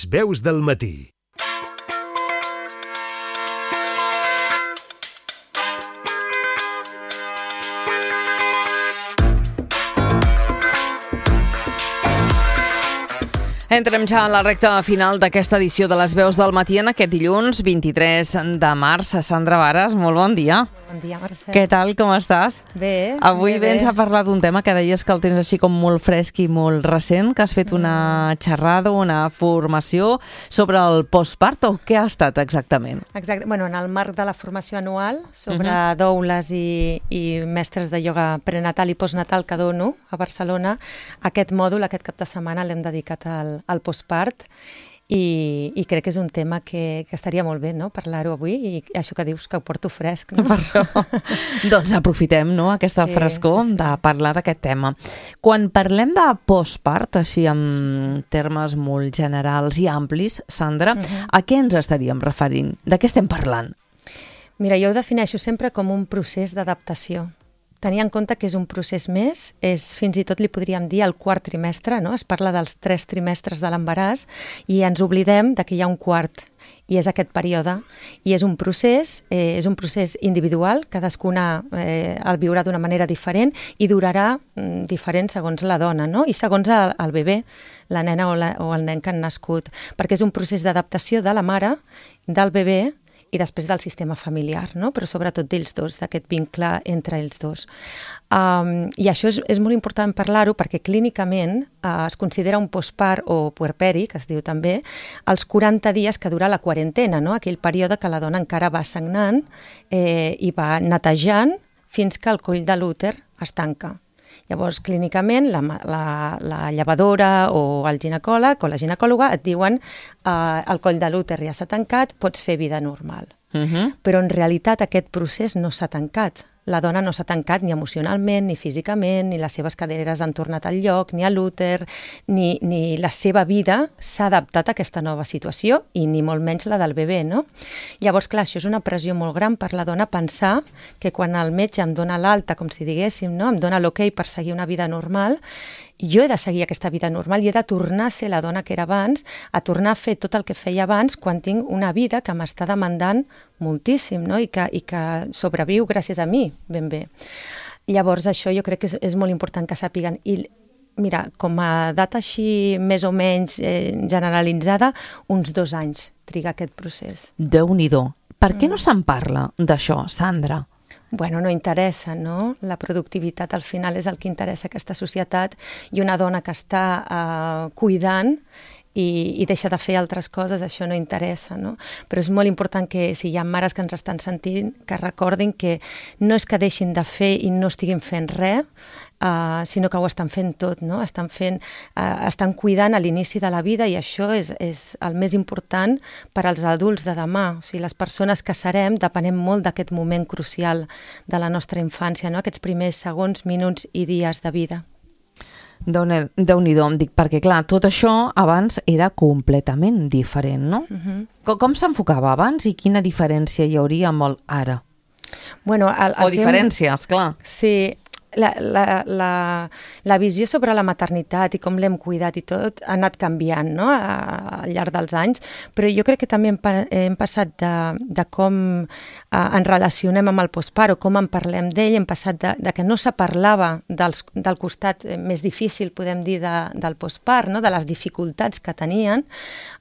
Veus del matí. Entrem ja a la recta final d'aquesta edició de les Veus del matí en aquest dilluns 23 de març. Sandra Vares, molt bon dia. Bon dia, Mercè. Què tal, com estàs? Bé. Avui vens a parlar d'un tema que deies que el tens així com molt fresc i molt recent, que has fet una xerrada, una formació sobre el postpart, o què ha estat exactament? Exacte. Bueno, en el marc de la formació anual sobre doules i mestres de ioga prenatal i postnatal que dono a Barcelona, aquest mòdul, aquest cap de setmana, l'hem dedicat al postpart. I crec que és un tema que estaria molt bé, no?, parlar-ho avui, i això que dius que ho porto fresc, no? Per això. Doncs aprofitem, no?, aquesta frescor de parlar d'aquest tema. Quan parlem de postpart, així en termes molt generals i amplis, Sandra, a què ens estaríem referint? De què estem parlant? Mira, jo ho defineixo sempre com un procés d'adaptació. Tenir en compte que és un procés més, fins i tot li podríem dir el quart trimestre, no? Es parla dels 3 trimestres de l'embaràs i ens oblidem de que hi ha un quart, i és aquest període. I és un procés individual, cadascuna el viurà d'una manera diferent i durarà diferent segons la dona, no? I segons el bebè, la nena o el nen que han nascut, perquè és un procés d'adaptació de la mare, del bebè, i després del sistema familiar, no? Però sobretot d'ells dos, d'aquest vincle entre ells dos. I això és molt important parlar-ho perquè clínicament es considera un postpart o puerperi, que es diu també, els 40 dies que dura la quarantena, no? Aquell període que la dona encara va sagnant i va netejant fins que el coll de l'úter es tanca. Llavors, clínicament, la llevadora o el ginecòleg o la ginecòloga et diuen el coll de l'úter ja s'ha tancat, pots fer vida normal. Però en realitat aquest procés no s'ha tancat. La dona no s'ha tancat ni emocionalment, ni físicament, ni les seves caderes han tornat al lloc, ni a l'úter, ni la seva vida s'ha adaptat a aquesta nova situació i ni molt menys la del bebè, no? Llavors, clar, això és una pressió molt gran per la dona pensar que quan el metge em dona l'alta, com si diguéssim, no? Em dona l'ok per seguir una vida normal, jo he de seguir aquesta vida normal i he de tornar a ser la dona que era abans, a tornar a fer tot el que feia abans quan tinc una vida que m'està demandant moltíssim, no? I que sobreviu gràcies a mi, ben bé. Llavors això jo crec que és molt important que sàpiguen. I mira, com a data així més o menys generalitzada, uns 2 anys triga aquest procés. Déu-n'hi-do. Per què no se'n parla d'això, Sandra? Bueno, no interessa, no? La productivitat al final és el que interessa a aquesta societat, i una dona que està cuidant i deixa de fer altres coses, això no interessa, no? Però és molt important que si hi ha mares que ens estan sentint, que recordin que no és que deixin de fer i no estiguin fent res, sinó que ho estan fent tot, no? Estan cuidant a l'inici de la vida, i això és el més important per als adults de demà. O sigui, les persones que serem depenem molt d'aquest moment crucial de la nostra infància, no? Aquests primers segons, minuts i dies de vida. Déu-n'hi-do, em dic, perquè clar, tot això abans era completament diferent, no? Com s'enfocava abans i quina diferència hi hauria amb el ara? Bueno, o diferències, clar. Sí, la visió sobre la maternitat i com l'hem cuidat i tot ha anat canviant, no?, al llarg dels anys, però jo crec que també hem passat de com ens relacionem amb el postpart o com en parlem d'ell, hem passat de que no se parlava del costat més difícil, podem dir, del postpart, no?, de les dificultats que tenien,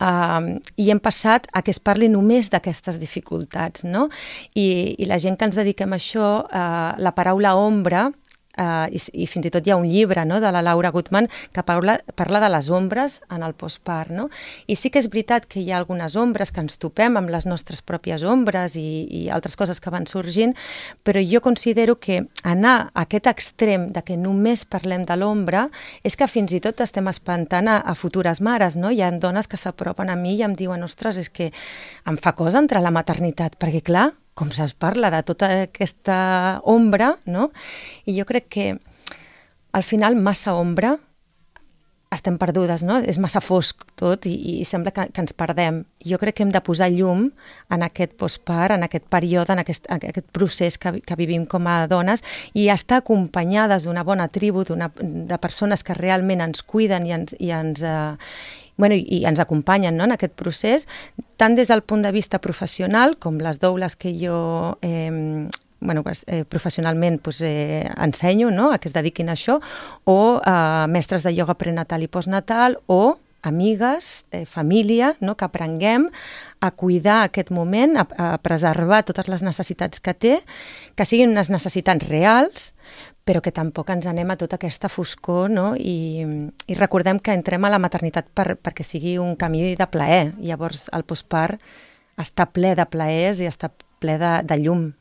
i hem passat a que es parli només d'aquestes dificultats, no? I la gent que ens dediquem a això, la paraula ombra, i fins i tot hi ha un llibre, no?, de la Laura Gutman que parla de les ombres en el postpart, no? I sí que és veritat que hi ha algunes ombres que ens topem amb les nostres pròpies ombres i altres coses que van sorgint, però jo considero que anar a aquest extrem de que només parlem de l'ombra és que fins i tot estem espantant a futures mares, no? Hi ha dones que s'apropen a mi i em diuen: ostres, és que em fa cosa entrar a la maternitat, perquè clar, com se'ls parla de tota aquesta ombra, no? I jo crec que al final massa ombra estem perdudes, no? És massa fosc tot i sembla que ens perdem. Jo crec que hem de posar llum en aquest postpart, en aquest període, en aquest procés que vivim com a dones, i estar acompanyades d'una bona tribu, de persones que realment ens cuiden i ens i ens acompanyen, no?, en aquest procés, tant des del punt de vista professional, com les doules que jo professionalment ensenyo, no?, a que es dediquin a això, o mestres de ioga prenatal i postnatal, o amigues, família, no?, que aprenguem a cuidar aquest moment, a preservar totes les necessitats que té, que siguin unes necessitats reals, però que tampoc ens anem a tota aquesta foscor, no?, i recordem que entrem a la maternitat perquè sigui un camí de plaer. Llavors el postpart està ple de plaers i està ple de llum.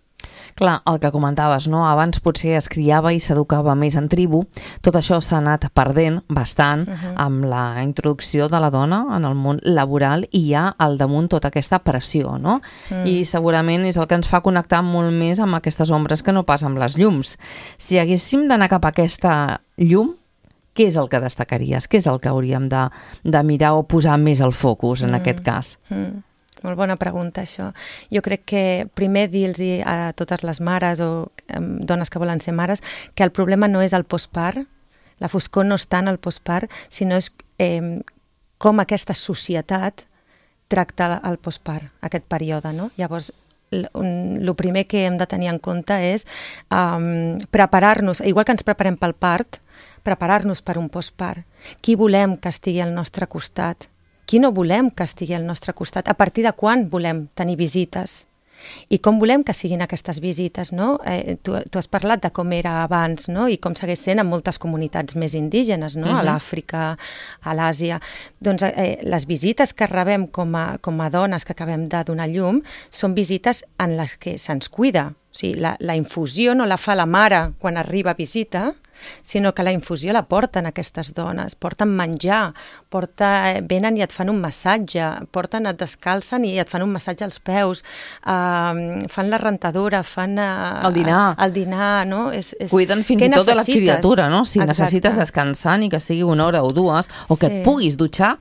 Clar, el que comentaves, no? Abans potser es criava i s'educava més en tribu. Tot això s'ha anat perdent bastant amb la introducció de la dona en el món laboral i hi ha al damunt tota aquesta pressió, no? I segurament és el que ens fa connectar molt més amb aquestes ombres que no pas amb les llums. Si haguéssim d'anar cap a aquesta llum, què és el que destacaries? Què és el que hauríem de mirar o posar més al focus en aquest cas? Molt bona pregunta, això. Jo crec que primer dir-los a totes les mares o dones que volen ser mares que el problema no és el postpart, la foscor no està en el postpart, sinó és com aquesta societat tracta el postpart, aquest període, no? Llavors, el primer que hem de tenir en compte és preparar-nos, igual que ens preparem pel part, preparar-nos per un postpart. Qui volem que estigui al nostre costat? Qui no volem que estigui al nostre costat? A partir de quan volem tenir visites? I com volem que siguin aquestes visites, no? Tu has parlat de com era abans, no? I com segueix sent en moltes comunitats més indígenes, no? A l'Àfrica, a l'Àsia. Doncs les visites que rebem com a dones que acabem de donar llum són visites en les que se'ns cuida. O sigui, la infusió no la fa la mare quan arriba a visita, sinó que la infusió la porten aquestes dones, porten menjar, venen i et fan un massatge, et descalcen i et fan un massatge als peus, fan la rentadora, fan el dinar, no? Cuiden fins i tot de la criatura, no? Si necessites descansar ni que sigui una hora o dues, o que et puguis dutxar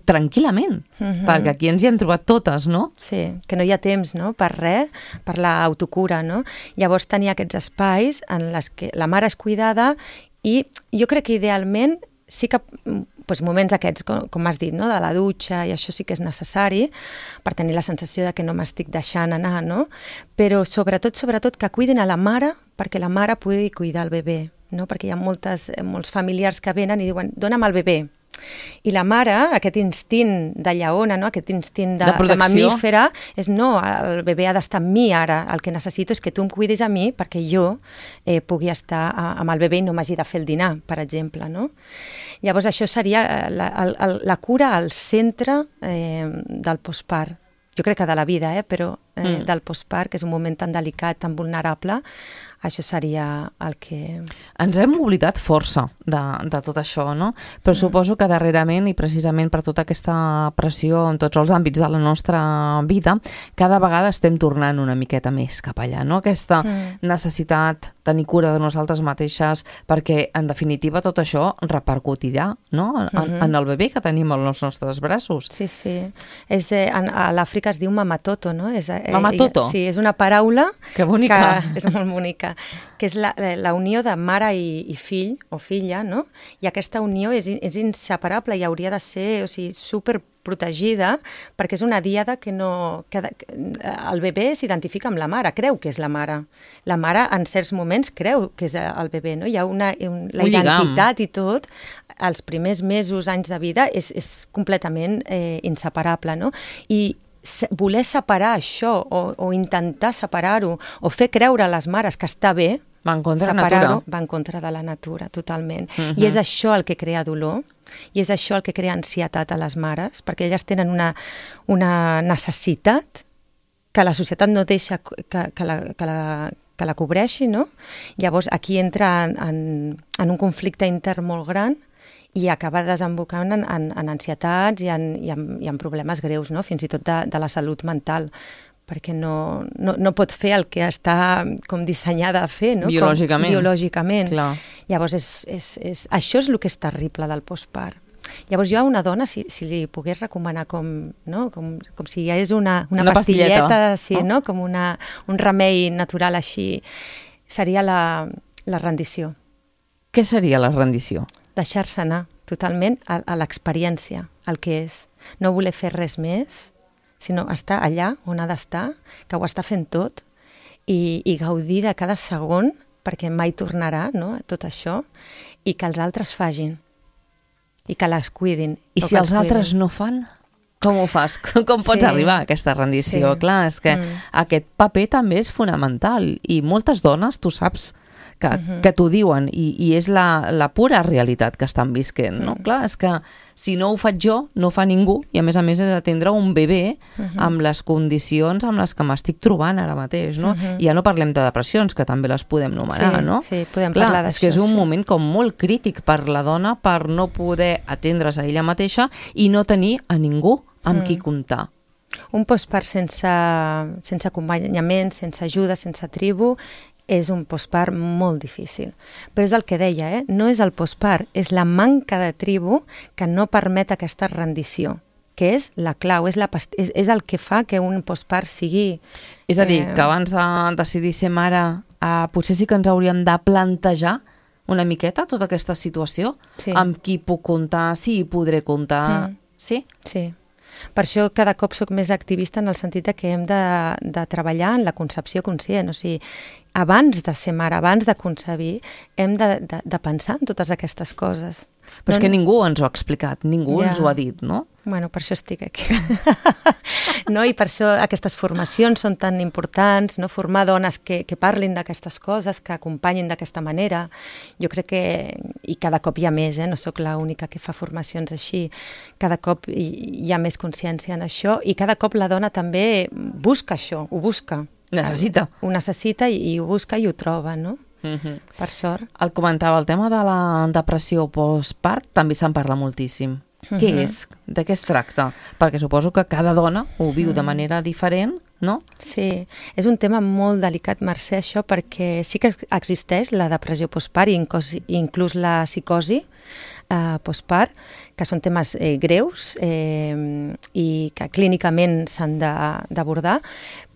tranquil·lament, perquè aquí ens hi hem trobat totes, no? Sí, que no hi ha temps, no?, per res, per l'autocura, no? Llavors tenir aquests espais en les que la mare és cuidada i jo crec que idealment sí que moments aquests, com has dit, no?, de la dutxa, i això sí que és necessari per tenir la sensació de que no m'estic deixant anar, no? Però sobretot que cuidin a la mare perquè la mare pugui cuidar el bebè, no? Perquè hi ha molts familiars que venen i diuen, dona'm el bebè. I la mare, aquest instint de lleona, no? Aquest instint de mamífera, és no, el bebè ha d'estar amb mi ara, el que necessito és que tu em cuidis a mi perquè jo pugui estar amb el bebè i no m'hagi de fer el dinar, per exemple, no? Llavors això seria la cura al centre del postpart. Jo crec que de la vida, però del postpart, que és un moment tan delicat, tan vulnerable, això seria el que... Ens hem oblidat força de tot això, no? Però suposo que darrerament, i precisament per tota aquesta pressió en tots els àmbits de la nostra vida, cada vegada estem tornant una miqueta més cap allà, no? Aquesta necessitat de tenir cura de nosaltres mateixes, perquè, en definitiva, tot això repercutirà, no?, en el bebè que tenim als nostres braços. Sí, sí. A l'Àfrica es diu mamatoto, no? Mamatoto? Sí, és una paraula... Que bonica! És molt bonica. Que és la unió de mare i fill o filla, no? I aquesta unió és inseparable i hauria de ser, o sigui, superprotegida, perquè és una díada que el bebè s'identifica amb la mare, creu que és la mare. La mare, en certs moments, creu que és el bebè, no? Hi ha la identitat i tot, els primers mesos, anys de vida, és completament inseparable, no? I voler separar això o intentar separar-ho o fer creure a les mares que està bé, va en contra de la natura. Va en contra de la natura, totalment. I és això el que crea dolor i és això el que crea ansietat a les mares, perquè elles tenen una necessitat que la societat no deixa que la cobreixi, no? Llavors aquí entra en un conflicte intern molt gran i acaba desembocant en ansietats i en problemes greus, no? Fins i tot de la salut mental, perquè no pot fer el que està com dissenyada a fer, no? Biològicament. Clar. Llavors, això és el que és terrible del postpart. Llavors jo a una dona, si li pogués recomanar com si hi hagués una pastilleta, sí, no? Com un remei natural així, seria la rendició. Què seria la rendició? Deixar-se anar, totalment a l'experiència, el que és. No voler fer res més, sinó estar allà on ha d'estar, que ho està fent tot, i gaudir de cada segon, perquè mai tornarà, no?, tot això, i que els altres facin, i que les cuidin. I si els altres no fan, com ho fas? Com pots arribar a aquesta rendició? Sí. Clar, és que aquest paper també és fonamental, i moltes dones, tu saps, que t'ho diuen, i és la pura realitat que estan visquent, no? Clar, és que si no ho faig jo, no ho fa ningú, i a més he d'atendre un bebè amb les condicions amb les que m'estic trobant ara mateix, no? I ja no parlem de depressions, que també les podem nomenar, no? Sí, podem parlar d'això. És que és un moment com molt crític per la dona per no poder atendre's a ella mateixa i no tenir a ningú amb qui comptar. Un postpart sense acompanyament, sense ajuda, sense tribu, és un postpart molt difícil. Però és el que deia, no és el postpart, és la manca de tribu que no permet aquesta rendició, que és la clau, és el que fa que un postpart sigui... És a dir, que abans de decidir ser mare, potser sí que ens hauríem de plantejar una miqueta tota aquesta situació, amb qui puc comptar, si hi podré comptar, sí? Sí. Per això cada cop soc més activista en el sentit que hem de treballar en la concepció conscient, o sigui, abans de ser mare, abans de concebir, hem de pensar en totes aquestes coses. Però és que ningú ens ho ha explicat, ningú ens ho ha dit, no? Bueno, per això estic aquí. No? I per això aquestes formacions són tan importants, no? Formar dones que parlin d'aquestes coses, que acompanyin d'aquesta manera. Jo crec que, i cada cop hi ha més, no sóc l'única que fa formacions així, cada cop hi ha més consciència en això, i cada cop la dona també busca això, ho busca. Necessita. Ho necessita i ho busca i ho troba, no? Per sort. El comentava, el tema de la depressió postpart també se'n parla moltíssim. Què és? De què es tracta? Perquè suposo que cada dona ho viu de manera diferent, no? Sí, és un tema molt delicat, Mercè, això, perquè sí que existeix la depressió postpart i inclús la psicosi postpart, que són temes greus i que clínicament s'han d'abordar,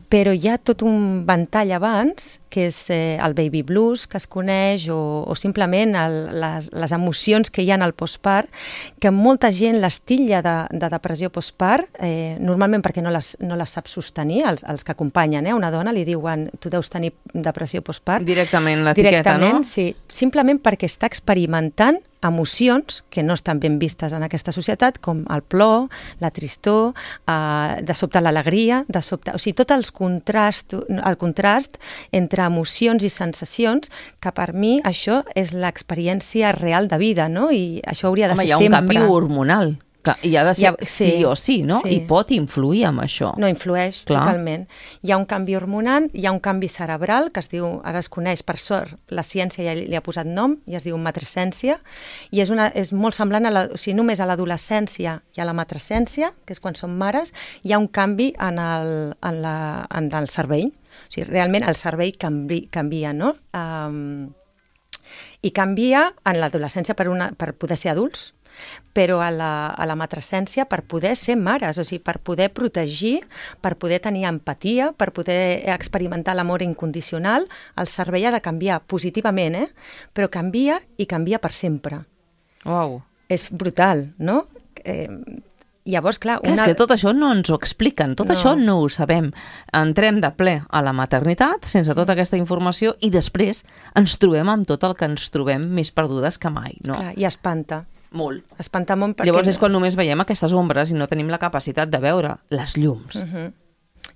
però hi ha tot un ventall abans, que és el baby blues, que es coneix, o simplement les emocions que hi ha al postpart, que molta gent les titlla de depressió postpart, normalment perquè no les sap sostenir, els que acompanyen una dona, li diuen, tu deus tenir depressió postpart. Directament l'etiqueta, no? Directament, sí. Simplement perquè està experimentant emocions que no estan ben vistes en aquesta societat, com el plor, la tristor, de sobte l'alegria, de sobte... O sigui, tot el contrast entre emocions i sensacions, que per mi això és l'experiència real de vida, no? I això hauria de ser sempre... Home, hi ha un canvi hormonal, que hi ha de ser sí o sí, no? Sí. I pot influir amb això. No, influeix totalment. Hi ha un canvi hormonal, hi ha un canvi cerebral, que es diu, ara es coneix, per sort, la ciència ja li ha posat nom, i es diu matrescència, i és molt semblant, o sigui, només a l'adolescència i a la matrescència, que és quan som mares, hi ha un canvi en el cervell. O sigui, realment el cervell canvia, no? I canvia en l'adolescència per poder ser adults, però a la matrescència per poder ser mares, o sigui, per poder protegir, per poder tenir empatia, per poder experimentar l'amor incondicional, el cervell ha de canviar positivament, però canvia i canvia per sempre. Uau. És brutal, no? Llavors, clar... És que tot això no ens ho expliquen, tot això no ho sabem. Entrem de ple a la maternitat sense tota aquesta informació i després ens trobem amb tot el que ens trobem més perdudes que mai, no? Clar, i espanta. Molt. Espanta molt perquè... Llavors és quan només veiem aquestes ombres i no tenim la capacitat de veure les llums.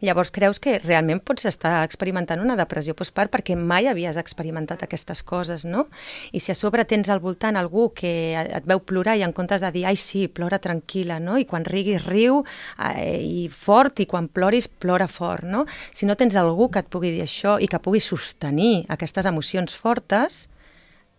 Llavors creus que realment pots estar experimentant una depressió postpart perquè mai havies experimentat aquestes coses, no? I si a sobre tens al voltant algú que et veu plorar i en comptes de dir, ai sí, plora tranquil·la, no? I quan riguis riu i fort, i quan ploris plora fort, no? Si no tens algú que et pugui dir això i que pugui sostenir aquestes emocions fortes,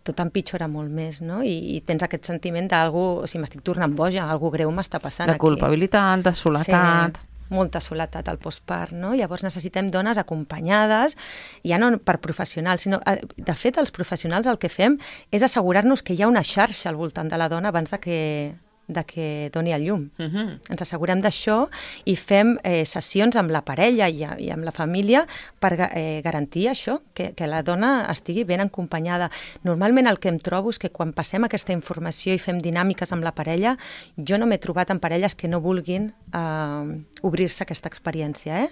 tot empitjora molt més, no? I tens aquest sentiment d'algú, o sigui, m'estic tornant boja, algú greu m'està passant aquí. De culpabilitat, de soledat... Sí, molta soledat al postpart, no? Llavors necessitem dones acompanyades, ja no per professionals, sinó, de fet, els professionals el que fem és assegurar-nos que hi ha una xarxa al voltant de la dona abans de que de que doni a llum. Ens assegurem d'això i fem sessions amb la parella i amb la família per garantir això, que la dona estigui ben acompanyada. Normalment el que em trobo és que quan passem aquesta informació i fem dinàmiques amb la parella, jo no m'he trobat en parelles que no vulguin obrir-se a aquesta experiència,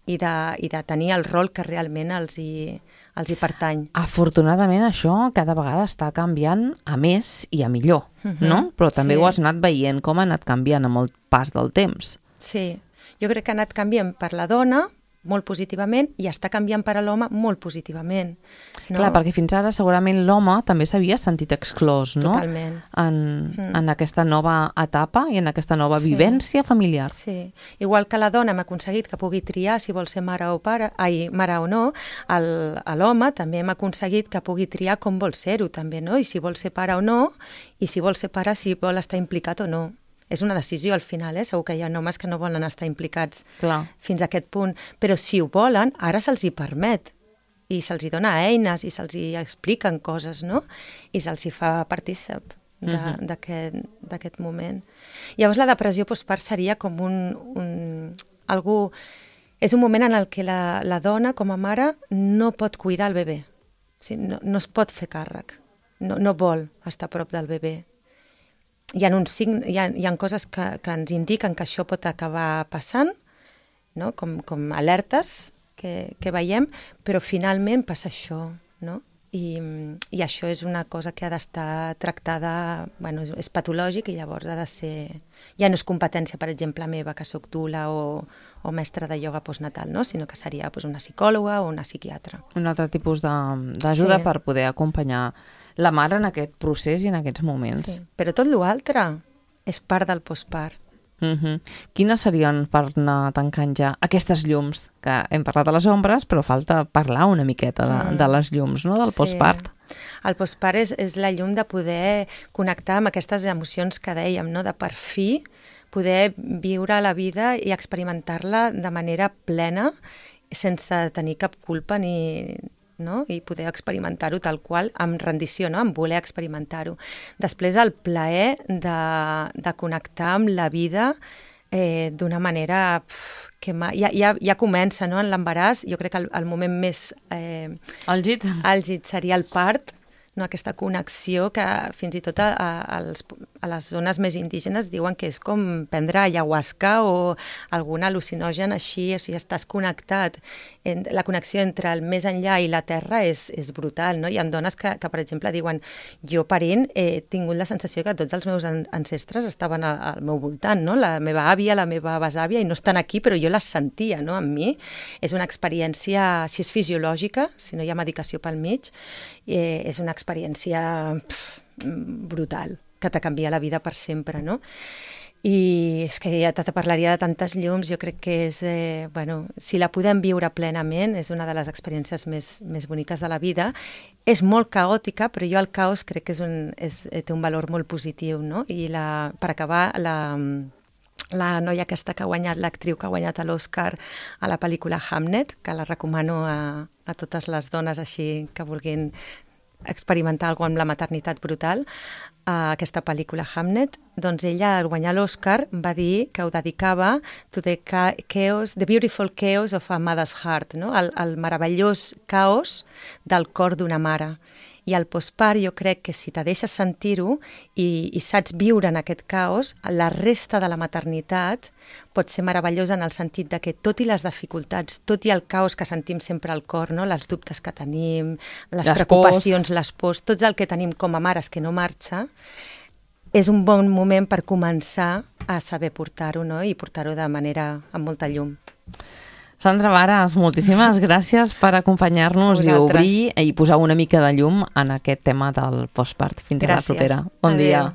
i de tenir el rol que realment els hi pertany. Afortunadament això cada vegada està canviant a més i a millor, no? Però també ho has anat veient com ha anat canviant amb el pas del temps. Sí, jo crec que ha anat canviant per la dona molt positivament i està canviant per a l'home molt positivament. No? Clar, perquè fins ara segurament l'home també s'havia sentit exclòs, no? Totalment. En aquesta nova etapa i en aquesta nova vivència familiar. Sí, igual que la dona hem aconseguit que pugui triar si vol ser mare o no, l'home també hem aconseguit que pugui triar com vol ser-ho també, no? I si vol ser pare o no, i si vol ser pare, si vol estar implicat o no. És una decisió al final, segur que hi ha homes que no volen estar implicats fins a aquest punt, però si ho volen, ara se'ls hi permet i se'ls hi dona eines i se'ls hi expliquen coses, no? I se'ls hi fa partícip d'aquest moment. Llavors la depressió postpart seria com és un moment en el que la dona com a mare no pot cuidar el bebè, no es pot fer càrrec, no vol estar a prop del bebè. Hi ha coses que ens indiquen que això pot acabar passant, no? com alertes que veiem, però finalment passa això, no? I això és una cosa que ha d'estar tractada, bueno, és patològic i llavors ha de ser... Ja no és competència, per exemple, meva, que soc dula o mestra de ioga postnatal, no? Sinó que seria una psicòloga o una psiquiatra. Un altre tipus d'ajuda per poder acompanyar la mare en aquest procés i en aquests moments. Sí, però tot l'altre és part del postpart. Quines serien, per anar tancant ja, aquestes llums? Que hem parlat de les ombres, però falta parlar una miqueta de les llums, no? Del postpart. El postpart és la llum de poder connectar amb aquestes emocions que dèiem, no? De per fi poder viure la vida i experimentar-la de manera plena sense tenir cap culpa no? I poder experimentar-ho tal qual, amb rendició, no? Amb voler experimentar-ho. Després el plaer de connectar amb la vida d'una manera que ja comença, no? En l'embaràs, jo crec que el moment més àlgid seria el part, no? Aquesta connexió que fins i tot a les zones més indígenes diuen que és com prendre ayahuasca o algun al·lucinogen així, o sigui, estàs connectat. La connexió entre el més enllà i la terra és brutal, no? Hi ha dones que, per exemple, diuen jo parint he tingut la sensació que tots els meus ancestres estaven al meu voltant, no? La meva àvia, la meva besàvia, i no estan aquí, però jo les sentia, no? Amb mi. És una experiència, si és fisiològica, si no hi ha medicació pel mig, és una experiència brutal, que te canvia la vida per sempre, no? I és que ja te parlaria de tantes llums, jo crec que és, si la podem viure plenament, és una de les experiències més boniques de la vida. És molt caòtica, però jo el caos crec que té un valor molt positiu, no? I per acabar, la noia aquesta que ha guanyat, l'actriu que ha guanyat l'Oscar a la pel·lícula Hamnet, que la recomano a totes les dones així que vulguin experimentar alguna cosa amb la maternitat brutal, aquesta pel·lícula Hamnet, doncs ella al guanyar l'Oscar va dir que ho dedicava to the beautiful chaos of a mother's heart, no? El meravellós caos del cor d'una mare. I al postpart jo crec que si te deixes sentir-ho i saps viure en aquest caos, la resta de la maternitat pot ser meravellosa en el sentit de que tot i les dificultats, tot i el caos que sentim sempre al cor, no? Els dubtes que tenim, les preocupacions, les pors, tot el que tenim com a mares que no marxa, és un bon moment per començar a saber portar-ho, no? I portar-ho de manera amb molta llum. Sandra Varas, moltíssimes gràcies per acompanyar-nos i obrir i posar una mica de llum en aquest tema del postpart. Fins a la propera. Bon dia.